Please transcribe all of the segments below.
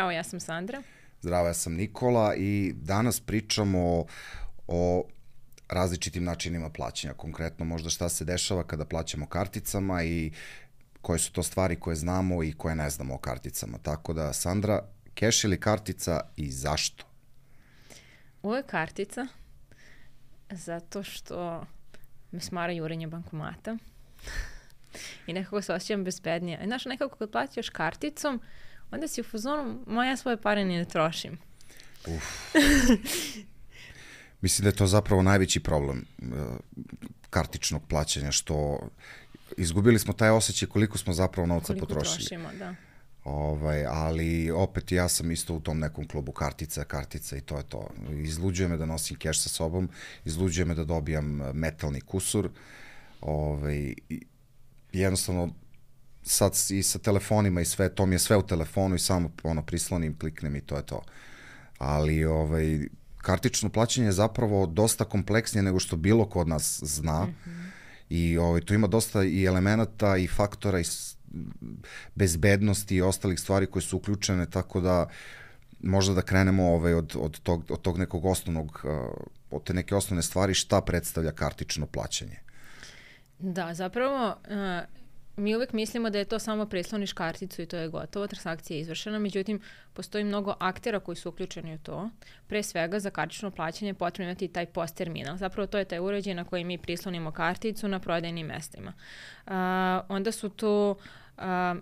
Zdravo, ja sam Sandra. Zdravo, ja sam Nikola i danas pričamo o različitim načinima plaćanja. Konkretno možda šta se dešava kada plaćamo karticama i koje su to stvari koje znamo i koje ne znamo o karticama. Tako da, Sandra, keš ili kartica i zašto? Uvek kartica, zato što me smara jurenje bankomata i nekako se osjećam bezbednije. Znaš, nekako kad plaćaš karticom, onda si u fazonu, ja svoje pare ni ne trošim. Mislim da je to zapravo najveći problem kartičnog plaćanja, što izgubili smo taj osjećaj koliko smo zapravo novca potrošili. Koliko trošimo, da. Ali opet ja sam isto u tom nekom klubu kartica i to je to. Izluđuje me da nosim keš sa sobom, izluđuje me da dobijam metalni kusur. Jednostavno, sad i sa telefonima i sve, to mi je sve u telefonu i samo prislonim, kliknem i to je to. Ali kartično plaćanje je zapravo dosta kompleksnije nego što bilo ko od nas zna. I tu ima dosta i elemenata i faktora i bezbednosti i ostalih stvari koje su uključene, tako da možda da krenemo od tog nekog osnovnog, od te neke osnovne stvari šta predstavlja kartično plaćanje. Da, zapravo mi uvek mislimo da je to samo prisloniš karticu i to je gotovo, transakcija je izvršena, međutim postoji mnogo aktera koji su uključeni u to. Pre svega za kartično plaćanje je potrebno imati taj POS terminal. Zapravo to je taj uređaj na koji mi prislonimo karticu na prodajnim mestima. Onda su tu,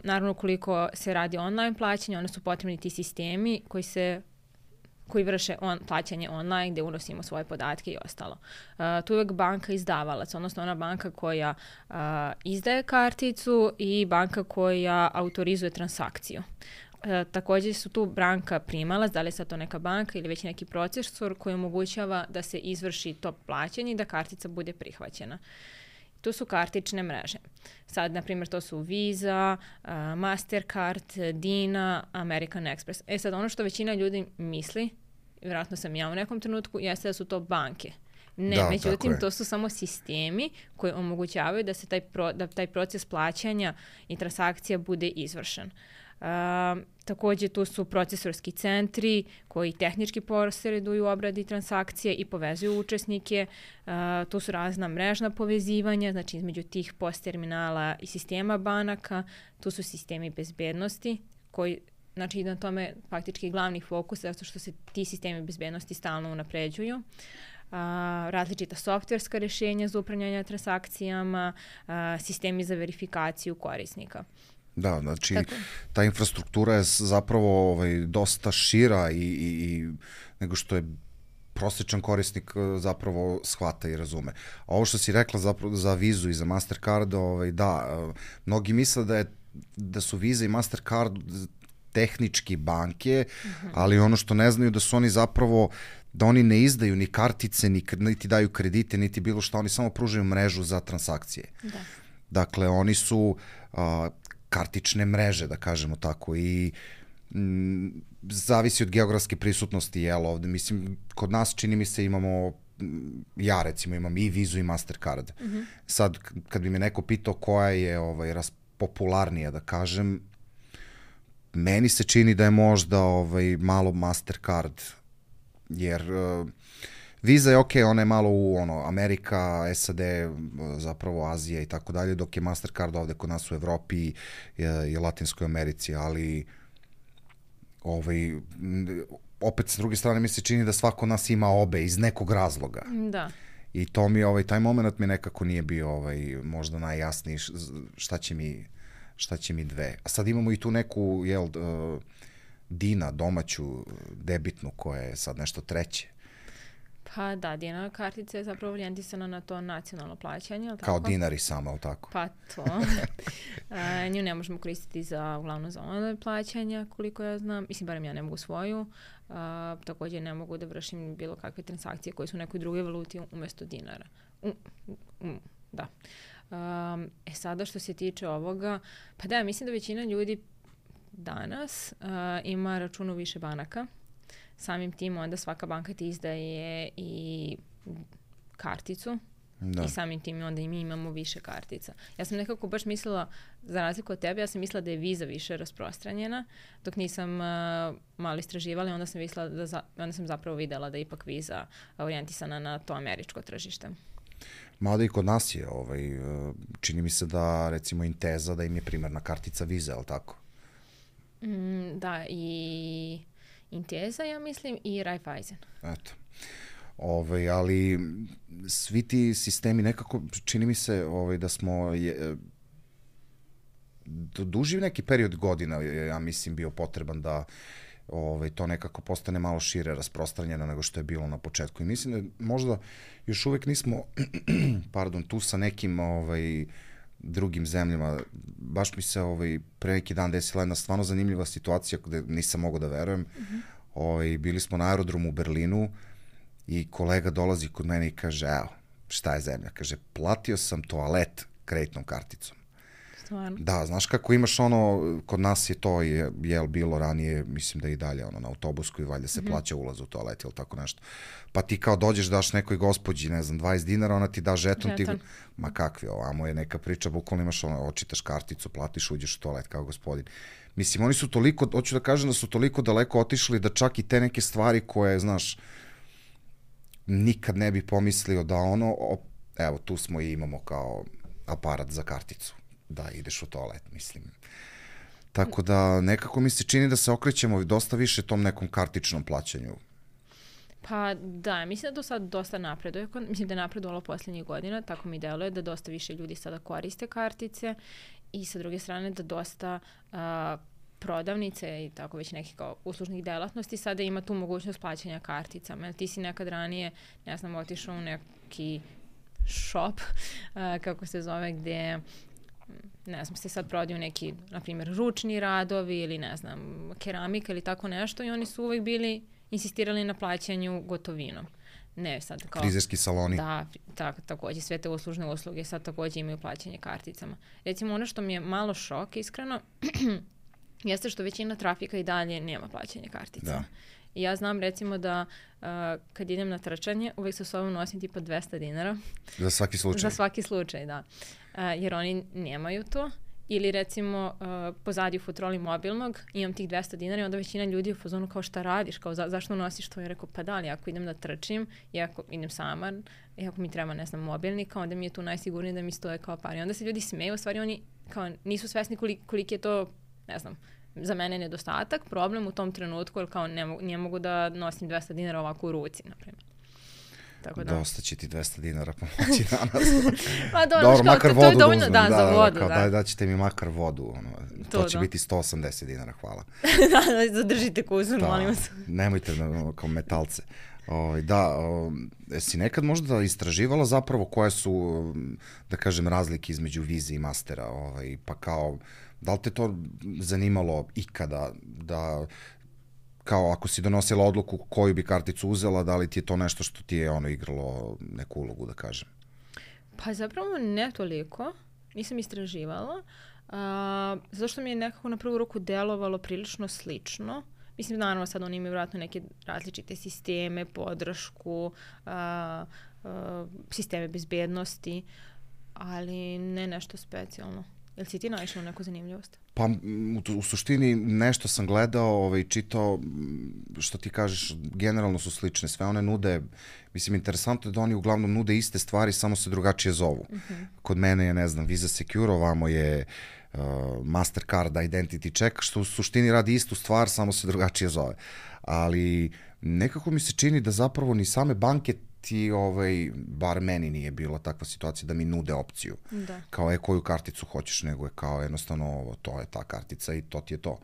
naravno koliko se radi online plaćanje, onda su potrebni ti sistemi koji vrše plaćanje online, gde unosimo svoje podatke i ostalo. Tu je uvek banka izdavalac, odnosno ona banka koja izdaje karticu i banka koja autorizuje transakciju. Takođe su tu banka primalac, da li je sad to neka banka ili već neki procesor koji omogućava da se izvrši to plaćanje i da kartica bude prihvaćena. Tu su kartične mreže. Sad, na primjer, to su Visa, Mastercard, Dina, American Express. Sad, ono što većina ljudi misli, vjerojatno sam ja u nekom trenutku, jeste da su to banke. Ne, međutim, to su samo sistemi koji omogućavaju da se taj proces plaćanja i transakcija bude izvršen. Takođe tu su procesorski centri koji tehnički posreduju obradi transakcije i povezuju učesnike. Tu su razna mrežna povezivanja, znači između tih POS terminala i sistema banaka. Tu su sistemi bezbednosti koji, znači na tome faktički glavni fokus, zato što se ti sistemi bezbednosti stalno unapređuju. Različita softverska rešenja za upravljanje transakcijama, sistemi za verifikaciju korisnika. Da, znači ta infrastruktura je zapravo dosta šira i nego što je prosječan korisnik zapravo shvata i razume. A ovo što si rekla zapravo za Vizu i za Mastercard, mnogi misle da su Visa i Mastercard tehnički banke, ali ono što ne znaju da su oni zapravo, da oni ne izdaju ni kartice, niti daju kredite, niti bilo šta, oni samo pružaju mrežu za transakcije. Da. Dakle, oni su kartične mreže, da kažemo tako, i zavisi od geografske prisutnosti, ovde, mislim, kod nas čini mi se imamo, ja recimo imam i Vizu i Mastercard. Sad, kad bi me neko pitao koja je popularnija, da kažem, meni se čini da je možda malo Mastercard, jer Visa je okej, ona je malo u Amerika, SAD, zapravo Azija i tako dalje, dok je Mastercard ovde kod nas u Evropi i Latinskoj Americi, ali opet s druge strane mi se čini da svako od nas ima obe iz nekog razloga. Da. I to mi, taj moment mi nekako nije bio možda najjasniji šta će mi dve. A sad imamo i tu neku, Dina, domaću, debitnu, koja je sad nešto treće. Pa da, Dina kartica je zapravo orijentisana na to nacionalno plaćanje, ali tako? Kao dinari samo, ali tako? Pa to. Nju ne možemo koristiti uglavnom za online plaćanja, koliko ja znam. Mislim, barem ja ne mogu svoju. Također ne mogu da vršim bilo kakve transakcije koje su u nekoj drugoj valuti umjesto dinara. Da. Sada što se tiče ovoga, pa da, mislim da većina ljudi danas ima račun u više banaka. Samim tim onda svaka banka ti izdaje i karticu Da. I samim tim onda i mi imamo više kartica. Ja sam nekako baš mislila, za razliku od tebe, ja sam mislila da je Visa više rasprostranjena, dok nisam malo istraživala, onda sam mislila onda sam zapravo videla da je ipak Visa orijentisana na to američko tržište. Mada i kod nas je, čini mi se da recimo Intesa, da im je primarna kartica Visa, je li tako? Da, i Intesa, ja mislim, i Raiffeisen. Eto. Ali svi ti sistemi nekako, čini mi se da smo duži neki period godina, ja mislim, bio potreban da to nekako postane malo šire rasprostranjeno nego što je bilo na početku. I mislim da možda još uvek nismo tu sa nekim drugim zemljama. Baš mi se pre neki dan desila jedna stvarno zanimljiva situacija gde nisam mogao da verujem. Bili smo na aerodromu u Berlinu i kolega dolazi kod mene i kaže, evo, šta je zemlja? Kaže, platio sam toalet kreditnom karticom. Stvarno? Da, znaš kako imaš kod nas je to, bilo ranije, mislim da i dalje, na autobusku i valjda se plaća ulaz u toalet ili tako nešto. Pa ti kao dođeš, daš nekoj gospođi, ne znam, 20 dinara, ona ti da žeton. Ma kakvi, ovamo je neka priča, bukvalno imaš očitaš karticu, platiš, uđeš u toalet kao gospodin. Mislim, oni su toliko, hoću da kažem da su toliko daleko otišli da čak i te neke stvari koje, znaš, nikad ne bi pomislio da evo, tu smo i imamo kao aparat za karticu, da ideš u toalet, mislim. Tako da nekako mi se čini da se okrećemo dosta više tom nekom kartičnom plaćanju. Pa da, mislim da to sad dosta napreduje. Mislim da je napredovalo posljednjih godina, tako mi deluje da dosta više ljudi sada koriste kartice i sa druge strane da dosta prodavnice i tako već nekih kao uslužnih delatnosti sada ima tu mogućnost plaćanja karticama. Ti si nekad ranije, ne znam, otišao u neki shop, kako se zove, gde ne znam, se sad prodaju neki, na primjer, ručni radovi ili ne znam, keramika ili tako nešto i oni su uvek bili insistirali na plaćanju gotovinom. Ne, sad kao... Frizerski saloni. Da, takođe, sve te uslužne usluge sad takođe imaju plaćanje karticama. Recimo, ono što mi je malo šok, iskreno, jeste što većina trafika i dalje nema plaćanje kartica. Da. I ja znam recimo da kad idem na trčanje, uvek sa sobom nosim tipa 200 dinara. Za svaki slučaj? Za svaki slučaj, da. Jer oni nemaju to. Ili recimo pozadi u futroli mobilnog imam tih 200 dinara i onda većina ljudi u fazonu kao šta radiš, kao zašto nosiš to? Ja rekao pa da, ali ako idem da trčim i ako idem sama i ako mi treba, ne znam, mobilnika, onda mi je tu najsigurnije da mi stoje kao par. I onda se ljudi smeju, u stvari oni kao nisu svesni koliki je to, ne znam, za mene nedostatak, problem u tom trenutku, jer kao ne mogu da nosim 200 dinara ovako u ruci, na primjer. Tako da. Dosta će ti 200 dinara pomoći danas. Pa dobro, makar vodu to je dovoljno, da, za vodu. Kao, da ćete mi makar vodu. To će biti 180 dinara, hvala. Da, zadržite kuzor, molim vas. Nemojte kao metalce. Si nekad možda istraživala zapravo koje su, da kažem, razlike između Visa i Mastera, pa kao, da li te to zanimalo ikada, da kao ako si donosila odluku koju bi karticu uzela, da li ti je to nešto što ti je igralo neku ulogu, da kažem? Pa zapravo ne toliko, nisam istraživala, zato što mi je nekako na prvu ruku delovalo prilično slično. Mislim, naravno sad oni imaju vjerojatno neke različite sisteme, podršku, sisteme bezbednosti, ali ne nešto specijalno. Jel si ti naišla na neku zanimljivost? Pa u suštini nešto sam gledao i čitao, što ti kažeš, generalno su slične. Sve one nude, mislim, interesantno je da oni uglavnom nude iste stvari, samo se drugačije zovu. Kod mene je, ne znam, Visa Secure, ovamo je Mastercard Identity Check, što u suštini radi istu stvar, samo se drugačije zove. Ali nekako mi se čini da zapravo ni same banke ti, bar meni nije bila takva situacija da mi nude opciju. Da. Kao koju karticu hoćeš, nego je kao jednostavno to je ta kartica i to ti je to.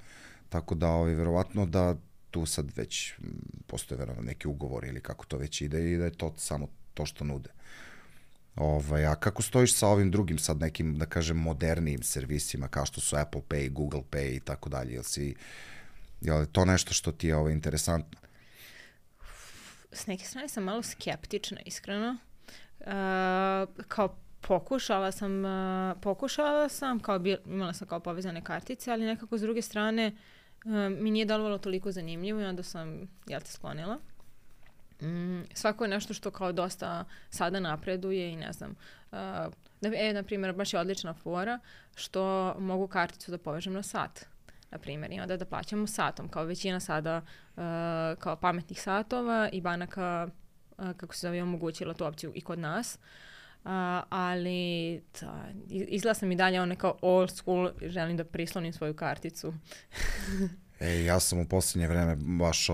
Tako da, verovatno da tu sad već postoje verovatno neki ugovor ili kako to već ide i da je to samo to što nude. A kako stojiš sa ovim drugim sad nekim, da kažem, modernijim servisima kao što su Apple Pay, Google Pay i tako dalje? Je li to nešto što ti je interesantno? S neke strane sam malo skeptična, iskreno. Kao pokušala sam, kao imala sam kao povezane kartice, ali nekako s druge strane mi nije delovalo toliko zanimljivo i onda sam, sklonila. svako je nešto što kao dosta sada napreduje i ne znam. Na primjer, baš je odlična fora što mogu karticu da povežem na sat, na primjer, i onda da plaćamo satom, kao većina sada kao pametnih satova i banaka, kako se zove, omogućila tu opciju i kod nas. Ali izgleda sam i dalje kao old school, želim da prislonim svoju karticu. Ja sam u posljednje vreme baš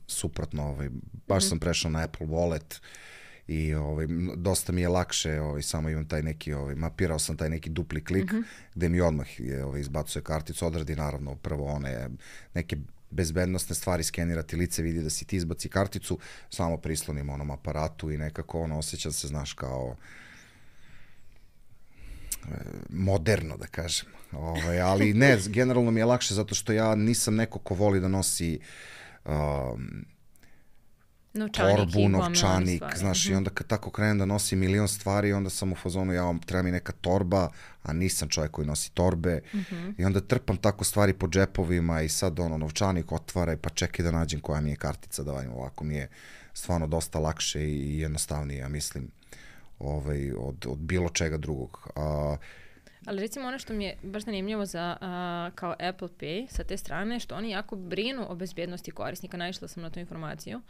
suprotno, baš sam prešao na Apple Wallet i dosta mi je lakše, samo imam taj neki, mapirao sam taj neki dupli klik gde mi odmah izbacuje karticu, odradi naravno prvo one neke bezbednostne stvari, skenirati lice, vidi da si ti izbaci karticu, samo prislonim onom aparatu i nekako osjećam se, znaš, kao moderno, da kažem. Ali ne, generalno mi je lakše zato što ja nisam neko ko voli da nosi torbu, novčanik, znaš, i onda kad tako krenem da nosim milion stvari, onda sam u fazonu, treba mi neka torba, a nisam čovjek koji nosi torbe, i onda trpam tako stvari po džepovima i sad novčanik otvaraj, pa čekaj da nađem koja mi je kartica, da valjim, ovako mi je stvarno dosta lakše i jednostavnije, ja mislim, od bilo čega drugog. Ali recimo ono što mi je baš zanimljivo za kao Apple Pay sa te strane, što oni jako brinu o bezbjednosti korisnika, naišla sam na tu informaciju,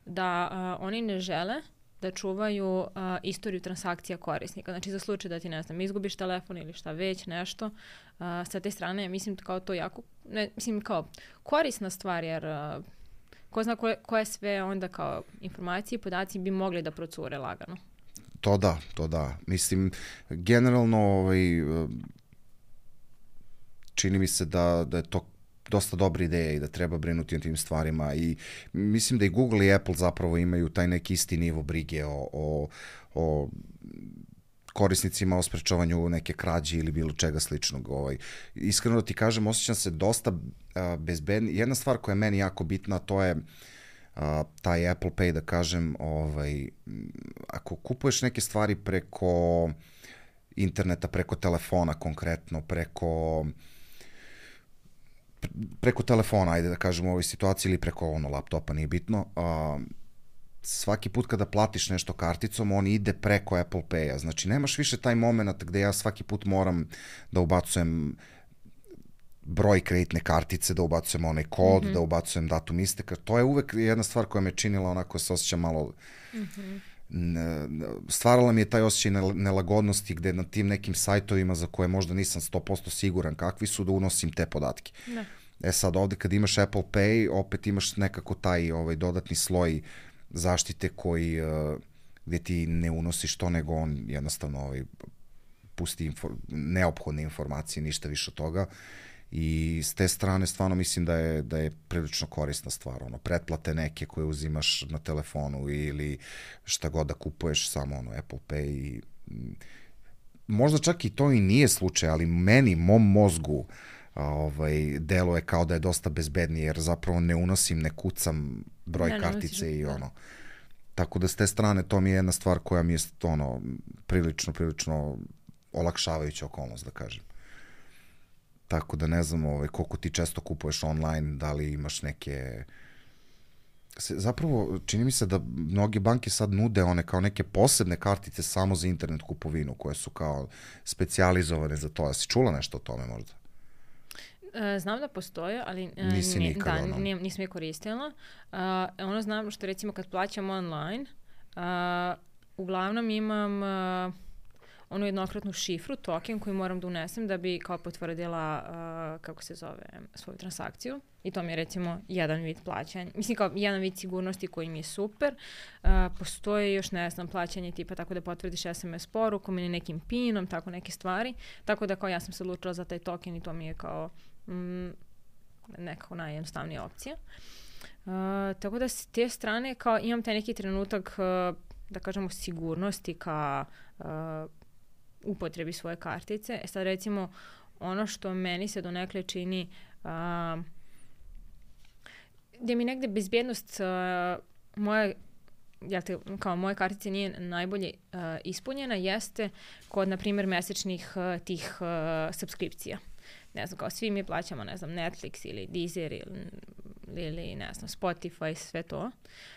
da oni ne žele da čuvaju istoriju transakcija korisnika. Znači za slučaj da ti, ne znam, izgubiš telefon ili šta već, nešto, sa te strane mislim kao to jako, kao korisna stvar, jer ko zna koje sve onda kao informacije i podaci bi mogli da procure lagano. To da. Mislim, generalno čini mi se da je to dosta dobra ideja i da treba brinuti o tim stvarima i mislim da i Google i Apple zapravo imaju taj neki isti nivo brige o korisnicima, o sprečavanju neke krađe ili bilo čega sličnog. Iskreno da ti kažem, osjećam se dosta bezbedni. Jedna stvar koja je meni jako bitna, to je taj Apple Pay, da kažem, ako kupuješ neke stvari preko interneta, preko telefona konkretno, preko telefona, ajde da kažem u ovoj situaciji, ili preko laptopa, nije bitno, svaki put kada platiš nešto karticom, on ide preko Apple Pay-a. Znači, nemaš više taj moment gde ja svaki put moram da ubacujem broj kreditne kartice, da ubacujem onaj kod, da ubacujem datum isteka. To je uvek jedna stvar koja me činila onako se osjećam malo... Stvarala mi je taj osjećaj nelagodnosti gde na tim nekim sajtovima za koje možda nisam 100% siguran kakvi su, da unosim te podatke. Da. Sad ovde kad imaš Apple Pay, opet imaš nekako taj dodatni sloj zaštite koji gde ti ne unosiš to, nego on jednostavno pusti neophodne informacije, ništa više od toga. I s te strane stvarno mislim da je prilično korisna stvar, pretplate neke koje uzimaš na telefonu ili šta god da kupuješ, samo Apple Pay i možda čak i to i nije slučaj, ali mom mozgu deluje kao da je dosta bezbednije, jer zapravo ne unosim, ne kucam broj kartice i tako da s te strane to mi je jedna stvar koja mi je prilično olakšavajuća okolnost, da kažem. Tako da ne znam koliko ti često kupuješ online, da li imaš neke... Zapravo, čini mi se da mnoge banke sad nude one kao neke posebne kartice samo za internet kupovinu, koje su kao specijalizovane za to. Jesi čula nešto o tome možda? Znam da postoje, ali nisam je koristila. Znam što recimo kad plaćam online, uglavnom imam... onu jednokratnu šifru, token koji moram da unesem da bi kao potvrdila, svoju transakciju. I to mi je recimo jedan vid plaćanja. Mislim kao jedan vid sigurnosti koji mi je super. Postoje još, ne znam, plaćanje tipa tako da potvrdiš SMS porukom ili nekim pinom, tako neke stvari. Tako da kao ja sam se odlučila za taj token i to mi je kao nekako najjednostavnija opcija. Tako da s te strane kao imam taj neki trenutak, da kažemo, sigurnosti ka upotrebi svoje kartice. Sad recimo ono što meni se donekle čini gdje mi negde bezbjednost moje kartice nije najbolje ispunjena, jeste kod, na primjer, mesečnih tih subskripcija. ne znam, kao svi mi plaćamo, ne znam, Netflix ili Deezer ili ne znam, Spotify, sve to.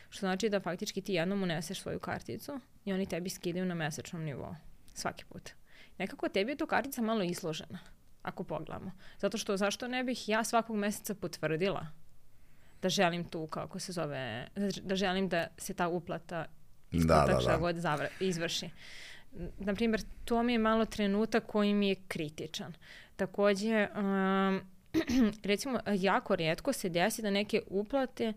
Što znači da faktički ti jednom uneseš svoju karticu i oni tebi skidaju na mesečnom nivou. Svaki put. Nekako tebi je tu kartica malo izložena, ako pogledamo. Zato što zašto ne bih ja svakog meseca potvrdila da želim tu, kako se zove, da želim da se ta uplata šta god izvrši. Naprimjer, to mi je malo trenutak koji mi je kritičan. Takođe, recimo, jako rijetko se desi da neke uplate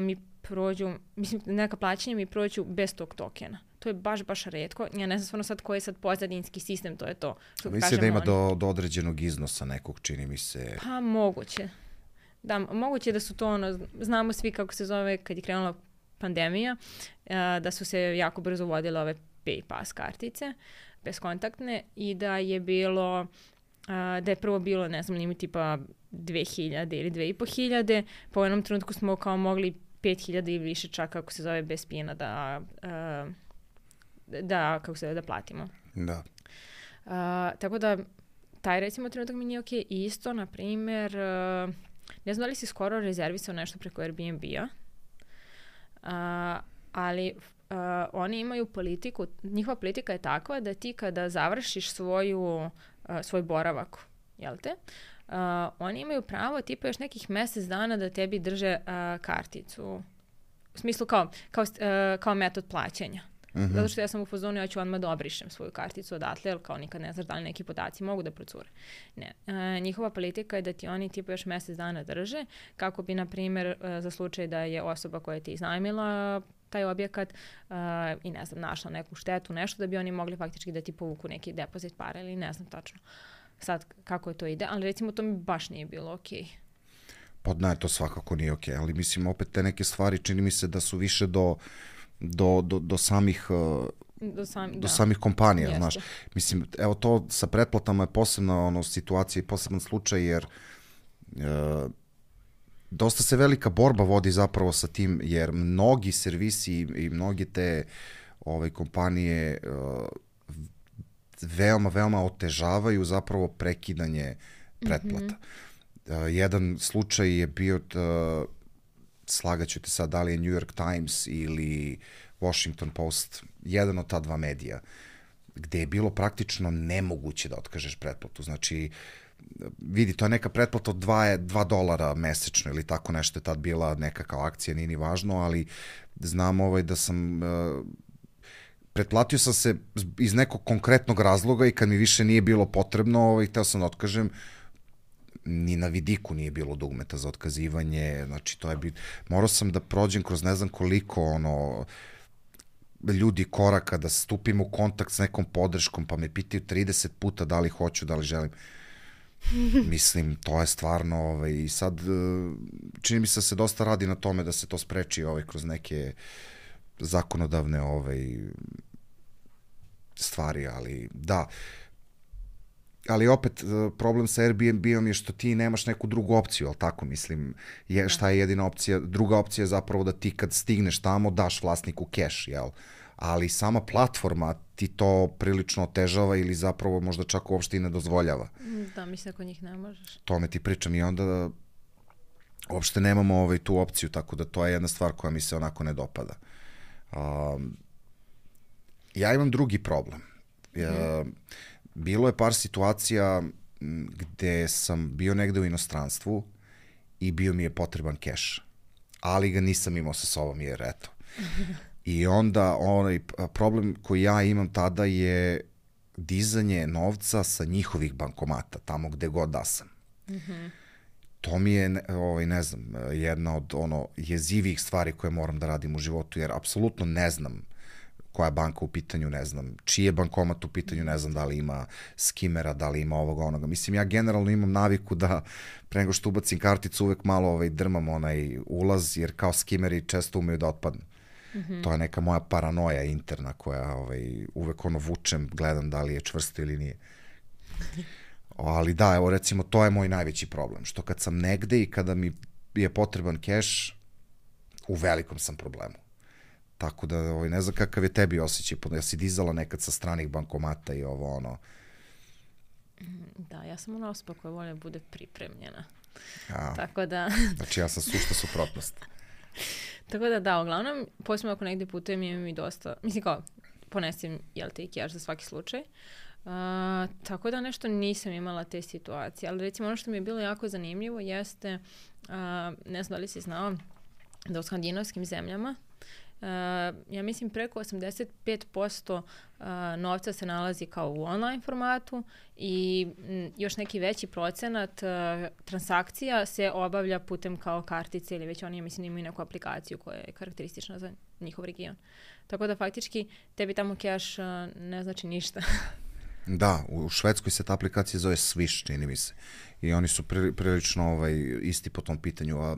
mi prođu, mislim, neka plaćanja mi prođu bez tog tokena. To je baš rijetko. Ja ne znam stvarno sad koji je sad pozadinski sistem, to je to. Mislim da ima do određenog iznosa nekog, čini mi se. Pa moguće. Da, moguće da su to znamo svi kako se zove kad je krenula pandemija, da su se jako brzo uvodile ove PayPass kartice, bezkontaktne, i da je bilo, da je prvo bilo, ne znam, limit tipa 2000 ili 2500, pa u jednom trenutku smo kao mogli 5000 i više čak, kako se zove, bez pina da platimo. Da. Tako da, taj recimo trenutak mi nije okej. Isto, na primjer, ne znam da li si skoro rezervisao nešto preko Airbnb-a, ali oni imaju politiku, njihova politika je takva da ti kada završiš svoj boravak, jel te, oni imaju pravo tipa još nekih mjesec dana da tebi drže karticu. U smislu kao metod plaćanja. Mm-hmm. Zato što ja sam u fazonu, ja ću odmah da obrišem svoju karticu odatle, jer kao nikad ne znaš da li neki podaci mogu da procure. Ne. Njihova politika je da ti oni tipa još mjesec dana drže, kako bi, na primjer, za slučaj da je osoba koja ti iznajmila taj objekat i ne znam, našla neku štetu, nešto, da bi oni mogli faktički da ti povuku neki depozit para ili ne znam tačno sad kako to ide, ali recimo to mi baš nije bilo okej. Pa ne, to svakako nije okej, ali mislim opet te neke stvari čini mi se da su više do samih kompanija, jeste. Znaš. Mislim, evo to sa pretplatama je posebna situacija i poseban slučaj, jer dosta se velika borba vodi zapravo sa tim, jer mnogi servisi i mnogi te kompanije veoma otežavaju zapravo prekidanje pretplata. Mm-hmm. Jedan slučaj je bio, slagaću te sad, da li je New York Times ili Washington Post, jedan od ta dva medija, gde je bilo praktično nemoguće da otkažeš pretplatu. Znači, vidi, to je neka pretplata od $2 mesečno ili tako nešto je tad bila neka kao akcija, nije ni važno, ali znam da sam pretplatio sam se iz nekog konkretnog razloga i kad mi više nije bilo potrebno, hteo sam da otkažem, ni na vidiku nije bilo dugmeta za otkazivanje, znači to je morao sam da prođem kroz ne znam koliko ljudi koraka, da stupim u kontakt s nekom podrškom, pa me pitaju 30 puta da li hoću, da li želim. Mislim, to je stvarno, i sad čini mi se da se dosta radi na tome da se to spreči kroz neke zakonodavne stvari, ali da. Ali opet, problem sa Airbnb-om je što ti nemaš neku drugu opciju, ali tako, mislim, šta je jedina opcija? Druga opcija je zapravo da ti kad stigneš tamo daš vlasniku keš, jel? Ali sama platforma ti to prilično otežava ili zapravo možda čak uopšte i ne dozvoljava. Da, mislim, ako njih ne možeš. Tome ti pričam i onda uopšte nemamo tu opciju, tako da to je jedna stvar koja mi se onako ne dopada. Ja imam drugi problem. Bilo je par situacija gde sam bio negde u inostranstvu i bio mi je potreban keš, ali ga nisam imao sa sobom jer eto. I onda problem koji ja imam tada je dizanje novca sa njihovih bankomata, tamo gde god da sam. Mm-hmm. To mi je, ne znam, jedna od jezivih stvari koje moram da radim u životu, jer apsolutno ne znam koja je banka u pitanju, ne znam, čiji je bankomat u pitanju, ne znam da li ima skimera, da li ima ovoga, onoga. Mislim, ja generalno imam naviku da pre nego što ubacim karticu uvek malo drmam onaj ulaz, jer kao skimeri često umeju da otpadnu. Mm-hmm. To je neka moja paranoja interna koja uvek vučem, gledam da li je čvrsto ili nije. Ali da, evo recimo, to je moj najveći problem, što kad sam negde i kada mi je potreban keš, u velikom sam problemu. Tako da ne znam kakav je tebi osjećaj, ja si dizala nekad sa stranih bankomata i Da, ja sam ona osoba koja volja bude pripremljena. A, tako da... Znači ja sam sušta suprotnost. Tako da, uglavnom, posebno ako negdje putujem, imam i dosta, mislim kao, ponesem, i cash za svaki slučaj. Tako da nešto nisam imala te situacije, ali recimo ono što mi je bilo jako zanimljivo jeste, ne znam da li si znao, da u skandinavskim zemljama, ja mislim preko 85% novca se nalazi kao u online formatu i još neki veći procenat transakcija se obavlja putem kao kartice ili već oni, ja mislim, imaju neku aplikaciju koja je karakteristična za njihov region. Tako da faktički tebi tamo cash ne znači ništa. Da, u Švedskoj se ta aplikacija zove Swish, čini mi se. I oni su prilično isti po tom pitanju, a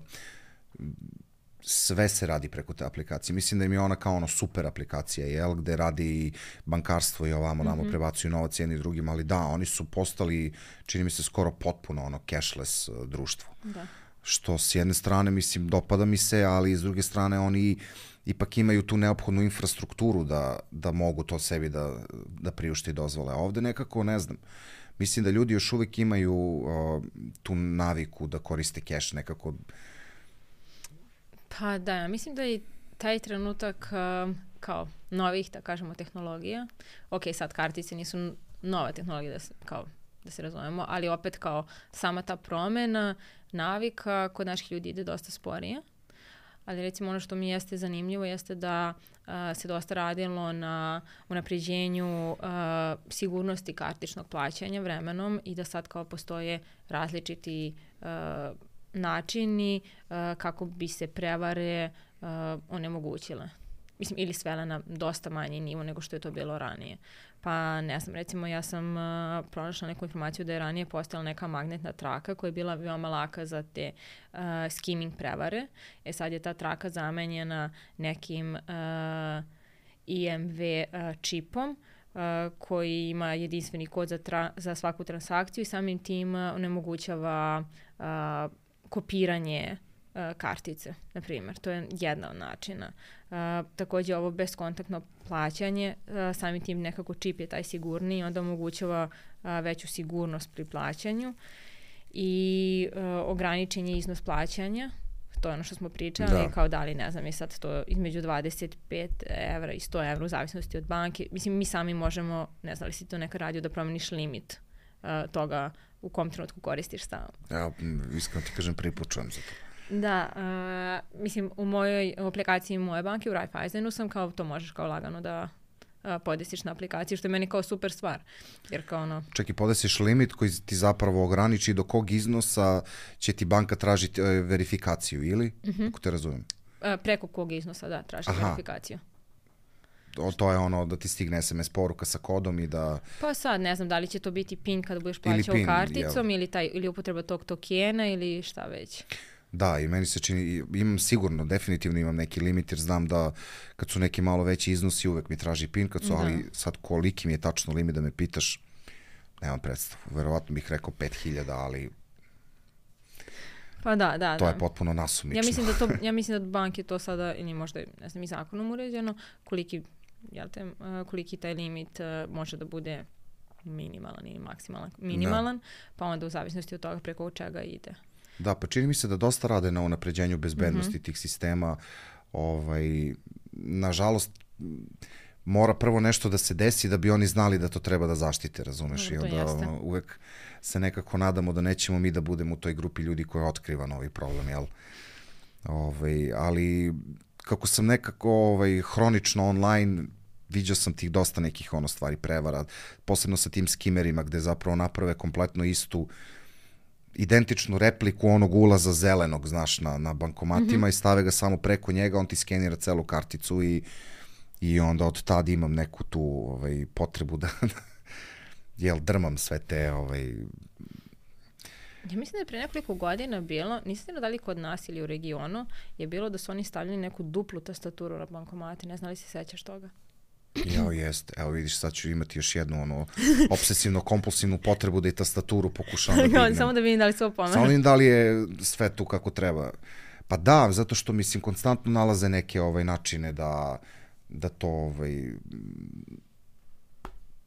sve se radi preko te aplikacije. Mislim da im je ona kao super aplikacija, jel, gde radi i bankarstvo i ovamo namo prebacuju novac jedni drugim, ali da, oni su postali, čini mi se, skoro potpuno cashless društvo. Da. Što s jedne strane, mislim, dopada mi se, ali s druge strane oni ipak imaju tu neophodnu infrastrukturu da mogu to sebi da priušte i dozvole. A ovde nekako, ne znam, mislim da ljudi još uvijek imaju tu naviku da koriste cash nekako. Pa da, mislim da i taj trenutak kao novih, da kažemo, tehnologija, ok, sad kartice nisu nova tehnologija, da se razumemo, ali opet kao sama ta promena navika kod naših ljudi ide dosta sporije. Ali recimo ono što mi jeste zanimljivo jeste da se dosta radilo na unapređenju sigurnosti kartičnog plaćanja vremenom i da sad kao postoje različiti načini kako bi se prevare onemogućile. Mislim, ili svele na dosta manji nivo nego što je to bilo ranije. Pa ne znam, recimo ja sam pronašla neku informaciju da je ranije postojala neka magnetna traka koja je bila veoma laka za te skimming prevare. Sad je ta traka zamenjena nekim IMV čipom koji ima jedinstveni kod za svaku transakciju i samim tim onemogućava kopiranje kartice, na primjer. To je jedna od načina. Također ovo bezkontaktno plaćanje, samim tim nekako čip je taj sigurniji, onda omogućava veću sigurnost pri plaćanju i ograničen je iznos plaćanja. To je ono što smo pričali, kao da li, ne znam, je sad to između 25 evra i 100 evra u zavisnosti od banke. Mislim, mi sami možemo, ne znam li si to nekad radio, da promeniš limit toga u kom trenutku koristiš stalno. Ja, iskreno ti kažem, prvi put čujem za to. Da, mislim, u aplikaciji moje banke, u Raiffeisenu sam kao, to možeš kao lagano da podesiš na aplikaciju, što je meni kao super stvar. Jer kao ono... Čak i podesiš limit koji ti zapravo ograniči do kog iznosa će ti banka tražiti verifikaciju, ili? Ako te razumijem. Preko kog iznosa, da, traži verifikaciju. To je ono da ti stigne SMS poruka sa kodom i da... Pa sad, ne znam, da li će to biti PIN kada budeš plaćao karticom ili upotreba tog tokena ili šta već. Da, i meni se čini, imam sigurno, definitivno imam neki limit, jer znam da kad su neki malo veći iznosi uvek mi traži PIN, kad su, ali sad koliki mi je tačno limit da me pitaš, nemam predstavu. Verovatno bih rekao 5000, ali... Pa da. To je potpuno nasumično. Ja mislim da banke to sada, ili možda, ne znam, i zakonom uređeno, koliki taj limit može da bude minimalan ili maksimalan. Minimalan, pa onda u zavisnosti od toga preko čega ide. Da, pa čini mi se da dosta rade na unapređenju bezbednosti tih sistema. Nažalost, mora prvo nešto da se desi da bi oni znali da to treba da zaštite, razumeš? I onda uvek se nekako nadamo da nećemo mi da budemo u toj grupi ljudi koji otkriva novi problem, jel? Ali kako sam nekako hronično online, viđao sam tih dosta nekih stvari prevara, posebno sa tim skimerima gde zapravo naprave kompletno istu identičnu repliku onog ulaza zelenog, znaš, na bankomatima i stave ga samo preko njega, on ti skenira celu karticu i onda od tada imam neku tu potrebu da drmam sve te... Ja mislim da je pre nekoliko godina bilo, nisam da li kod nas ili u regionu, je bilo da su oni stavljali neku duplu tastaturu na bankomate, ne znam li se sećaš toga? Jeste. Evo vidiš, sad ću imati još jednu obsesivno-kompulsivnu potrebu da i tastaturu pokušam da dignem. Samo da vidim da li se ovo pomene. Samo vidim da li je sve tu kako treba. Pa da, zato što mislim konstantno nalaze neke načine da to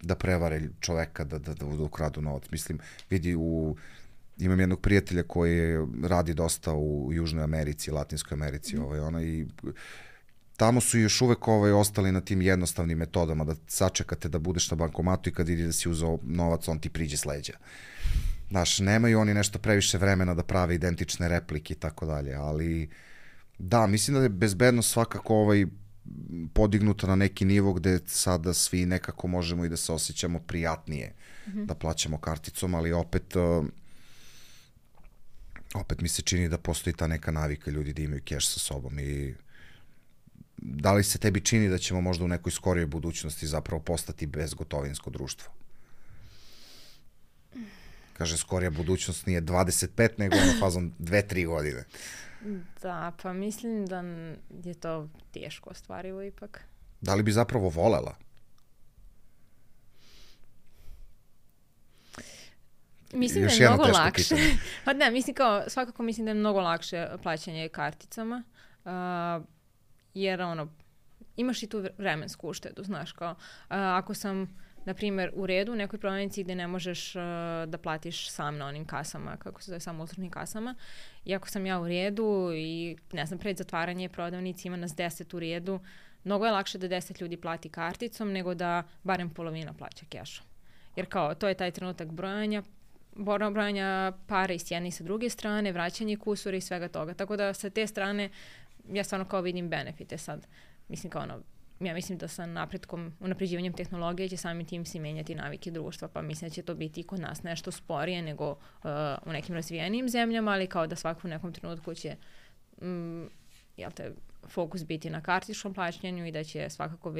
da prevare čoveka, da ukradu novac. Mislim, vidi, imam jednog prijatelja koji radi dosta u Južnoj Americi, Latinskoj Americi, i tamo su još uvek ostali na tim jednostavnim metodama, da sačekate da budeš na bankomatu i kad vidi da si uzeo novac, on ti priđe s leđa. Znaš, nemaju oni nešto previše vremena da prave identične replike i tako dalje, ali da, mislim da je bezbednost svakako podignuta na neki nivo gde sada svi nekako možemo i da se osjećamo prijatnije da plaćamo karticom, ali opet mi se čini da postoji ta neka navika ljudi da imaju keš sa sobom. I da li se tebi čini da ćemo možda u nekoj skorijoj budućnosti zapravo postati bezgotovinsko društvo? Kaže, skorija budućnost nije 25, nego fazom 2-3 godine. Da, pa mislim da je to teško ostvarivo ipak. Da li bi zapravo volela? Mislim da je mnogo lakše. Pa ne, svakako mislim da je mnogo lakše plaćanje karticama, jer imaš i tu vremensku uštedu, znaš, kao ako sam, na primjer, u redu u nekoj prodavnici gde ne možeš da platiš sam na onim kasama, kako se zove, samo uslužnim kasama, i ako sam ja u redu i, ne znam, pred zatvaranje prodavnici ima nas 10 u redu, mnogo je lakše da 10 ljudi plati karticom nego da barem polovina plaća kešom. Jer kao, to je taj trenutak brojanja para i s jedne i sa druge strane, vraćanje kusura i svega toga. Tako da sa te strane ja stvarno kao vidim benefite sad. Mislim ja mislim da sa napretkom, unapređivanjem tehnologije će samim tim se menjati navike društva, pa mislim da će to biti i kod nas nešto sporije nego u nekim razvijenijim zemljama, ali kao da svako u nekom trenutku će fokus biti na kartičnom plaćanju i da će svakako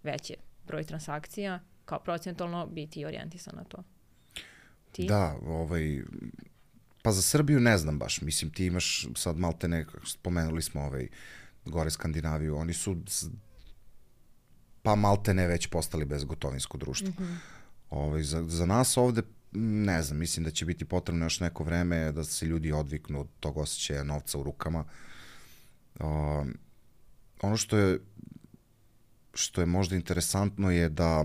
veći broj transakcija kao procentualno biti orijentisan na to. Ti? Da, pa za Srbiju ne znam baš. Mislim, ti imaš sad maltene, spomenuli smo gore Skandinaviju, oni su pa maltene već postali bezgotovinsko društvo. Za nas ovde, ne znam, mislim da će biti potrebno još neko vreme da se ljudi odviknu od tog osjećaja novca u rukama. Ono što je možda interesantno je da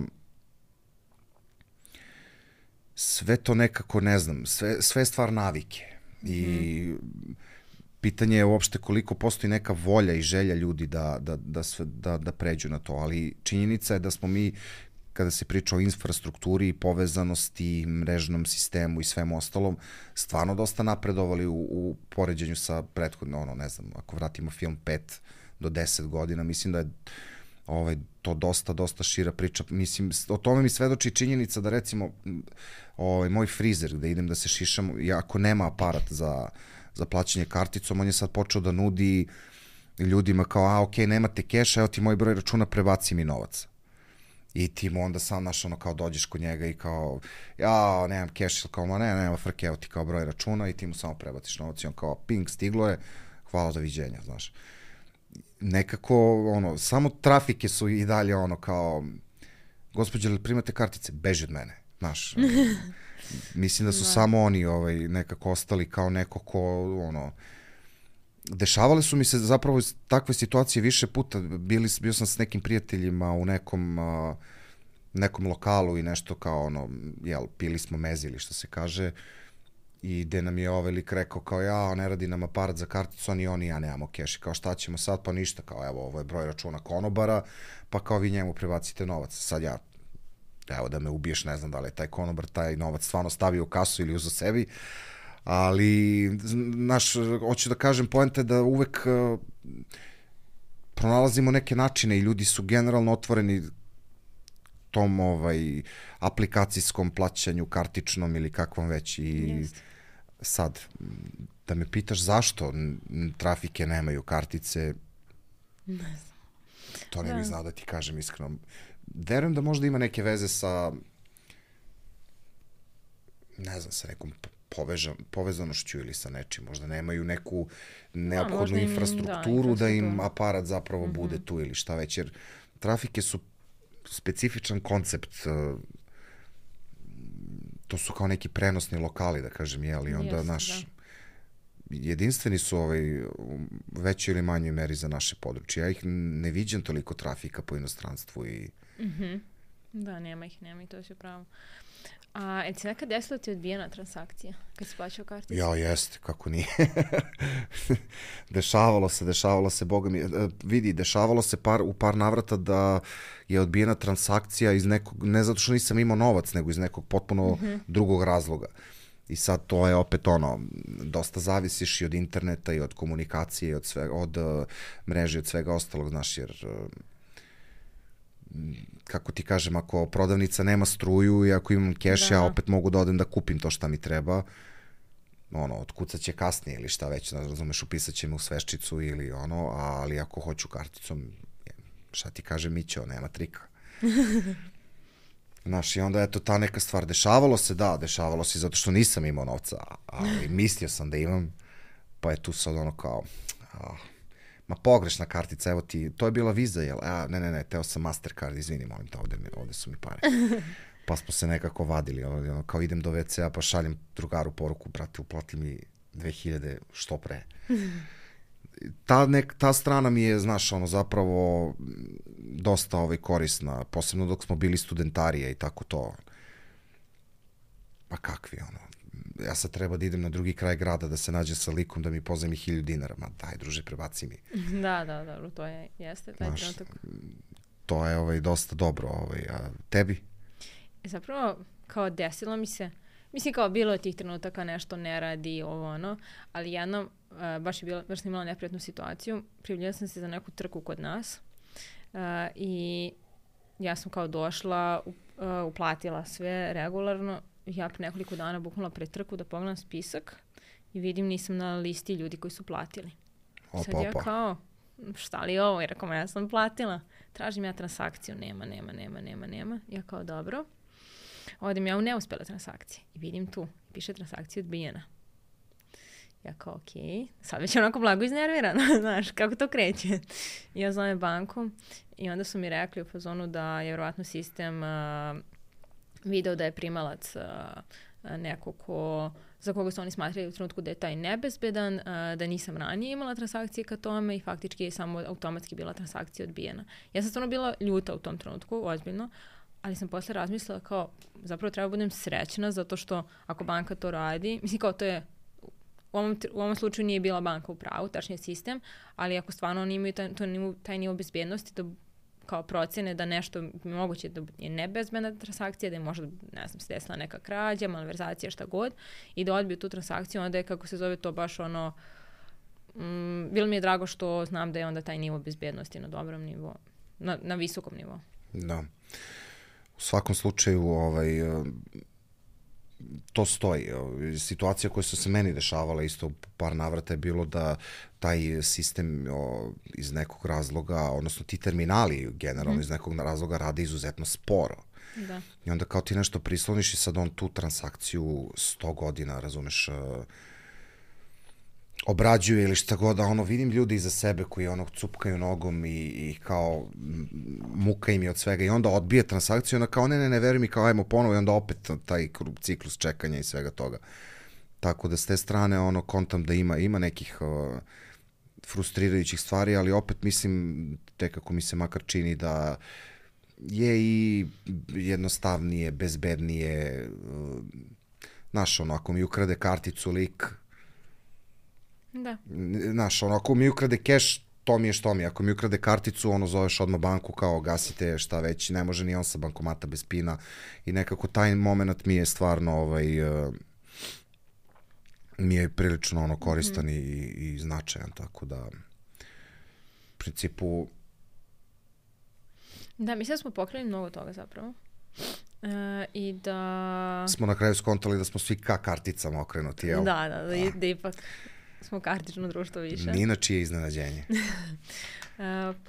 sve to nekako, ne znam, sve je stvar navike. I pitanje je uopšte koliko postoji neka volja i želja ljudi da pređu na to, ali činjenica je da smo mi, kada se priča o infrastrukturi, povezanosti, mrežnom sistemu i svemu ostalom, stvarno dosta napredovali u poređenju sa prethodno, ne znam, ako vratimo film 5 do 10 godina, mislim da je to dosta šira priča. Mislim, o tome mi svedoči činjenica da recimo moj frizer gde idem da se šišam, ako nema aparat za plaćanje karticom, on je sad počeo da nudi ljudima kao, okej, nemate keša, evo ti moj broj računa, prebaci mi novac. I ti mu onda sam kao dođeš kod njega i kao, ja, nemam keš, kao, nema frke, evo ti kao broj računa i ti mu samo prebaciš novac i on kao, ping, stiglo je, hvala, doviđenja, znaš. Nekako, samo trafike su i dalje kao, gospođe, li primate kartice? Beži od mene, znaš. Mislim da su samo oni nekako ostali kao neko ko, dešavale su mi se zapravo takve situacije više puta. Bio sam s nekim prijateljima u nekom lokalu i nešto kao, pili smo mezi ili što se kaže, i gde nam je lik rekao kao, ne radi nam aparat za karticu, oni ja nemamo keš. Kao, šta ćemo sad? Pa ništa, kao, evo, ovo je broj računa konobara, pa kao vi njemu prebacite novac. Sad evo da me ubiješ, ne znam da li je taj konobar taj novac stvarno stavio u kasu ili uzo sebi, ali, hoću da kažem, poenta je da uvek pronalazimo neke načine i ljudi su generalno otvoreni tom aplikacijskom plaćanju, kartičnom ili kakvom već. I sad, da me pitaš zašto trafike nemaju kartice, ne znam. To ne bih znao da ti kažem iskreno. Verujem da možda ima neke veze sa, ne znam, sa nekom povezanošću ili sa nečim. Možda nemaju neku neophodnu infrastrukturu da im aparat zapravo bude tu ili šta već. Jer trafike su specifičan koncept. To su kao neki prenosni lokali, da kažem, i onda jedinstveni su u većoj ili manjoj meri za naše područje. Ja ih ne viđam toliko trafika po inostranstvu i Da, nema ih, to je sve pravo. A je ti nekad desilo ti odbijena transakcija kad si plaćao karticu? Ja, jeste, kako nije. Dešavalo se, boga mi. Vidi, dešavalo se u par navrata da je odbijena transakcija iz nekog, ne zato što nisam imao novac, nego iz nekog potpuno drugog razloga. I sad to je opet dosta zavisiš i od interneta i od komunikacije i od mreže i od svega ostalog, znaš, jer kako ti kažem, ako prodavnica nema struju i ako imam keš, ja opet mogu da odem da kupim to šta mi treba, otkucat će kasnije ili šta već, razumeš, upisat će me u sveščicu ili ali ako hoću karticom, šta ti kažem, Mićo, nema trika. Znaš, i onda, eto, ta neka stvar, dešavalo se zato što nisam imao novca, ali mislio sam da imam, pa je tu sad kao, ma pogrešna kartica, evo ti, to je bila Visa, jel? Ne, teo sam Mastercard, izvini, molim te, ovde su mi pare. Pa smo se nekako vadili, kao idem do WC-a, pa šaljem drugaru poruku, brate, uplati mi 2000 što pre. Ta strana mi je, znaš, zapravo dosta korisna, posebno dok smo bili studentarije i tako to. Pa kakvi, ja sad treba da idem na drugi kraj grada da se nađem sa likom da mi pozajmi 1000 dinara. Ma daj, druže, prebaci mi. Da, dobro, to jeste taj trenutak. To je dosta dobro. A tebi? Zapravo, kao desilo mi se, mislim kao bilo tih trenutaka nešto ne radi, ali jednom, baš sam imala neprijatnu situaciju, prijavljala sam se za neku trku kod nas i ja sam kao došla, uplatila sve regularno. Ja pre nekoliko dana buknula pred trku da pogledam spisak i vidim nisam na listi ljudi koji su platili. Sad ja kao, šta li je ovo? Jer ako ja sam platila, tražim ja transakciju, nema. Ja kao, dobro. Odem ja u neuspjele transakcije i vidim tu, piše transakcija odbijena. Ja kao, okej, sad već onako blago iznervirana, znaš, kako to kreće. Ja zovem banku i onda su mi rekli u fazonu da je vjerovatno sistem video da je primalac neko za koga su oni smatrali u trenutku da je taj nebezbedan, da nisam ranije imala transakcije ka tome i faktički je samo automatski bila transakcija odbijena. Ja sam stvarno bila ljuta u tom trenutku, ozbiljno, ali sam posle razmislila kao, zapravo treba budem srećna zato što ako banka to radi, mislim kao to je, u ovom slučaju nije bila banka u pravu, tačnije sistem, ali ako stvarno oni imaju taj nivo bezbjednosti da kao procene da nešto moguće da je nebezbedna transakcija, da je možda, ne znam, se desila neka krađa, malverzacija, šta god, i da odbiju tu transakciju, onda je, kako se zove, to baš bilo mi je drago što znam da je onda taj nivo bezbednosti na dobrom nivou, na visokom nivou. Da. U svakom slučaju, to stoji. Situacija koja su se meni dešavala isto par navrata je bilo da taj sistem iz nekog razloga, odnosno ti terminali generalno iz nekog razloga rade izuzetno sporo. Da. I onda kao ti nešto prisloniš i sad on tu transakciju 100 godina, razumeš, obrađuje ili šta god, a vidim ljudi iza sebe koji cupkaju nogom i kao muka im je od svega i onda odbije transakciju, onda kao ne, veruj mi, kao ajmo ponovo i onda opet taj ciklus čekanja i svega toga. Tako da s te strane kontam da ima nekih frustrirajućih stvari, ali opet mislim, kako mi se makar čini da je i jednostavnije, bezbednije, znaš, ako mi ukrade karticu lik, da. Znaš, ako mi ukrade keš, to mi je što mi. Ako mi ukrade karticu, zoveš odmah banku kao gasite šta već, ne može ni on sa bankomata bez pina i nekako taj moment mi je stvarno mi je prilično koristan i značajan, tako da u principu da, mislim da smo pokrili mnogo toga zapravo. I da smo na kraju skontali da smo svi ka karticama okrenuti, jel? Da ipak smo kartično društvo više. Ni na čije iznenađenje.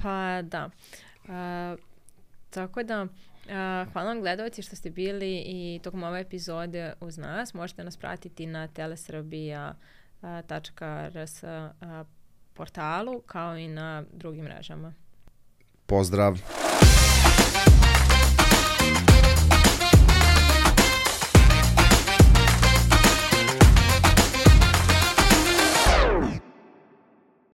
Pa da. Tako da, hvala vam gledalci što ste bili i tokom ove epizode uz nas. Možete nas pratiti na telesrbija.rs portalu kao i na drugim mrežama. Pozdrav!